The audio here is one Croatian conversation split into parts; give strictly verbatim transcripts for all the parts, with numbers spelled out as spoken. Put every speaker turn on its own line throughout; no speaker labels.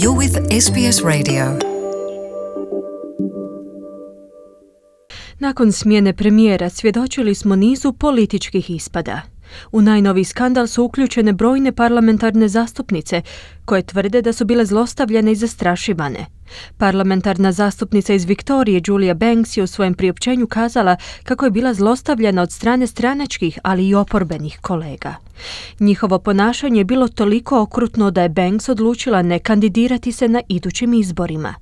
You're with S B S Radio.
Nakon smjene premijera svjedočili smo nizu političkih ispada. U najnoviji skandal su uključene brojne parlamentarne zastupnice koje tvrde da su bile zlostavljane i zastrašivane. Parlamentarna zastupnica iz Viktorije Julia Banks je u svojem priopćenju kazala kako je bila zlostavljana od strane stranačkih, ali i oporbenih kolega. Njihovo ponašanje je bilo toliko okrutno da je Banks odlučila ne kandidirati se na idućim izborima.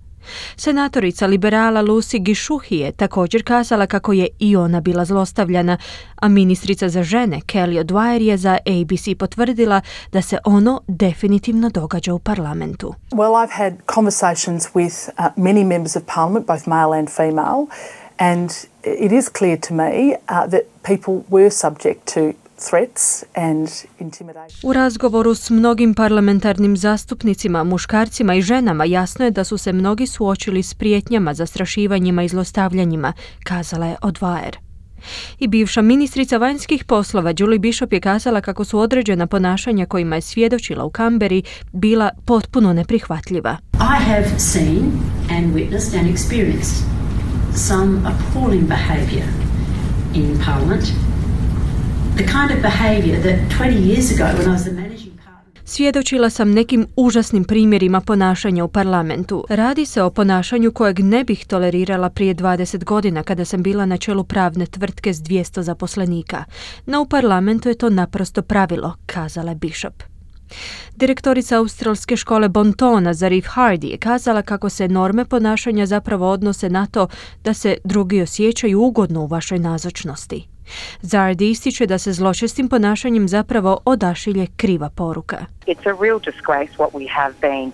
Senatorica liberala Lucy Gishuhi je također kazala kako je i ona bila zlostavljana, a ministrica za žene Kelly O'Dwyer je za A B C potvrdila da se ono definitivno događa u parlamentu.
Well, I've had conversations with uh, many members of parliament, both male and female, and it is clear to me uh, that people were subject to threats and intimidation.
U razgovoru s mnogim parlamentarnim zastupnicima, muškarcima i ženama jasno je da su se mnogi suočili s prijetnjama, zastrašivanjima i zlostavljanjima, kazala je O'Dwyer. I bivša ministrica vanjskih poslova Julie Bishop je kazala kako su određena ponašanja kojima je svjedočila u Canberri bila potpuno neprihvatljiva.
I have seen and witnessed and experienced some appalling behaviour in Parliament. The kind of behaviour that twenty years ago when I was the managing partner...
Svjedočila sam nekim užasnim primjerima ponašanja u parlamentu. Radi se o ponašanju kojeg ne bih tolerirala prije dvadeset godina kada sam bila na čelu pravne tvrtke s dvjesto zaposlenika. No u parlamentu je to naprosto pravilo, kazala je Bishop. Direktorica australske škole Bontona Zarif Hardy je kazala kako se norme ponašanja zapravo odnose na to da se drugi osjećaju ugodno u vašoj nazočnosti. Zardi ističe da se zločestim ponašanjem zapravo odašilje kriva poruka.
It's a real disgrace what we have been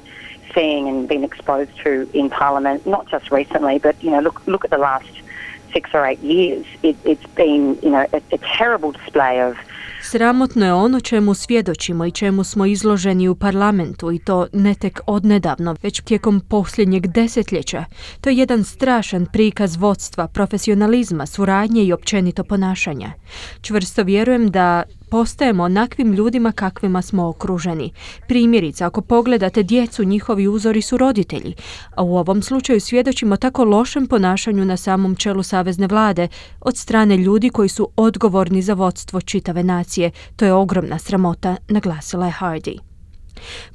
seeing and been exposed to in Parliament, not just recently, but you know, look look at the last six or eight years. It, it's been, you know, a, a terrible display of...
Sramotno je ono čemu svjedočimo i čemu smo izloženi u parlamentu, i to ne tek odnedavno, već tijekom posljednjeg desetljeća. To je jedan strašan prikaz vodstva, profesionalizma, suradnje i općenito ponašanja. Čvrsto vjerujem da postajemo onakvim ljudima kakvima smo okruženi. Primjerice, ako pogledate djecu, njihovi uzori su roditelji, a u ovom slučaju svjedočimo tako lošem ponašanju na samom čelu savezne vlade od strane ljudi koji su odgovorni za vodstvo čitave nacije. To je ogromna sramota, naglasila je Hardy.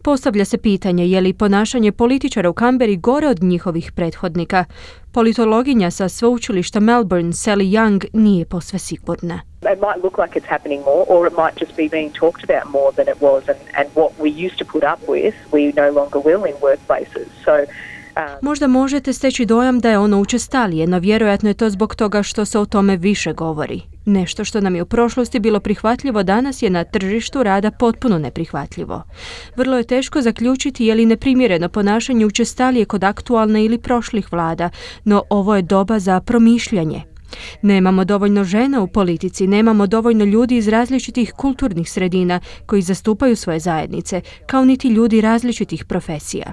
Postavlja se pitanje je li ponašanje političara u Canberri gore od njihovih prethodnika. Politologinja sa sveučilišta Melbourne Sally Young nije posve sigurna.
It might look like it's happening more, or it might just be being talked about more than it was, and, and what we used to put up with, we no longer will in workplaces. So
Možda možete steći dojam da je ono učestalije, no vjerojatno je to zbog toga što se o tome više govori. Nešto što nam je u prošlosti bilo prihvatljivo danas je na tržištu rada potpuno neprihvatljivo. Vrlo je teško zaključiti je li neprimjereno ponašanje učestalije kod aktualne ili prošlih vlada, no ovo je doba za promišljanje. Nemamo dovoljno žena u politici, nemamo dovoljno ljudi iz različitih kulturnih sredina koji zastupaju svoje zajednice, kao niti ljudi različitih profesija.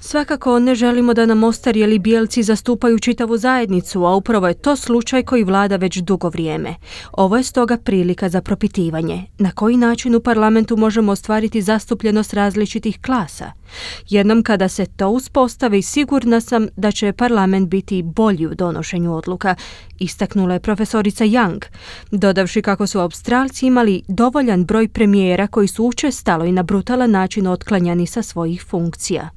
Svakako ne želimo da nam ostarjeli bijelci zastupaju čitavu zajednicu, a upravo je to slučaj koji vlada već dugo vrijeme. Ovo je stoga prilika za propitivanje. Na koji način u parlamentu možemo ostvariti zastupljenost različitih klasa? Jednom kada se to uspostavi, sigurna sam da će parlament biti bolji u donošenju odluka, istaknula je profesorica Young, dodavši kako su Australci imali dovoljan broj premijera koji su učestalo i na brutalan način otklanjani sa svojih funkcija.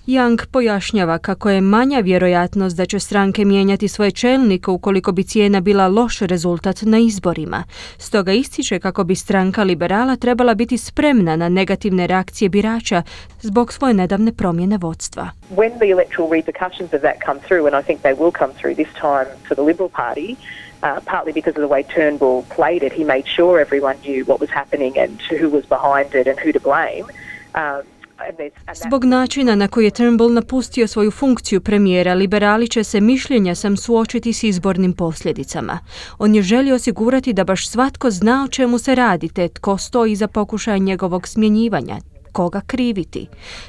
Young pojašnjava kako je manja vjerojatnost da će stranke mijenjati svoje čelnike ukoliko bi cijena bila loš rezultat na izborima. Stoga ističe kako bi stranka liberala trebala biti spremna na negativne reakcije birača zbog svoje nedavne promjene vodstva.
When the electoral repercussions of that come through, and I think they will come through this time for the Liberal Party, uh, partly because of the way Turnbull played it, he made sure everyone knew what was happening and who was behind it and who to blame. Um,
Zbog načina na koji je Turnbull napustio svoju funkciju premijera, liberali će se, mišljenja sam, suočiti s izbornim posljedicama. On je želio osigurati da baš svatko zna o čemu se radi, te tko stoji iza pokušaja njegovog smjenjivanja. koga kriviti.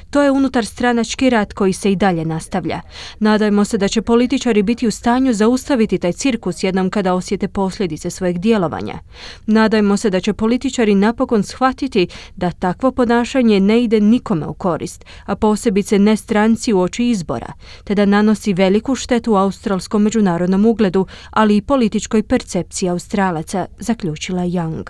To je unutarstranački rat koji se i dalje nastavlja. Nadajmo se da će političari biti u stanju zaustaviti taj cirkus jednom kada osjete posljedice svojeg djelovanja. Nadajmo se da će političari napokon shvatiti da takvo ponašanje ne ide nikome u korist, a posebice ne stranci uoči izbora, te da nanosi veliku štetu australskom međunarodnom ugledu, ali i političkoj percepciji Australaca, zaključila Young.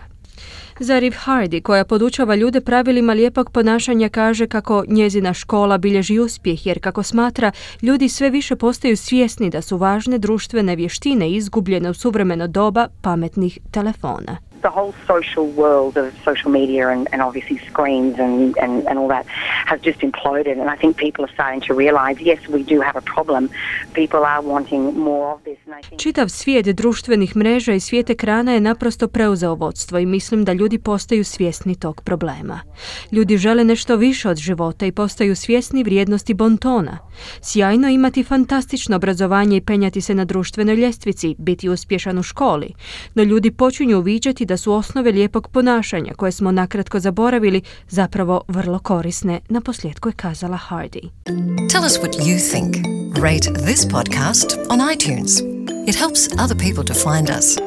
Zarif Hardy, koja podučava ljude pravilima lijepog ponašanja, kaže kako njezina škola bilježi uspjeh jer, kako smatra, ljudi sve više postaju svjesni da su važne društvene vještine izgubljene u suvremeno doba pametnih telefona.
The whole social world of social media and, and obviously screens and, and, and all that has just imploded, and I think people are starting to realise, yes, we do have a problem. People are wanting more of this. And I think...
Čitav svijet društvenih mreža i svijet ekrana je naprosto preuzeo vodstvo i mislim da ljudi postaju svjesni tog problema. Ljudi žele nešto više od života i postaju svjesni vrijednosti bontona. Sjajno imati fantastično obrazovanje i penjati se na društvenoj ljestvici, biti uspješan u školi, no ljudi počinju uviđati da su osnove lijepog ponašanja, koje smo nakratko zaboravili, zapravo vrlo korisne, na posljedku je kazala Hardy.
Tell us what you think. Rate this podcast on iTunes. It helps other people to find us.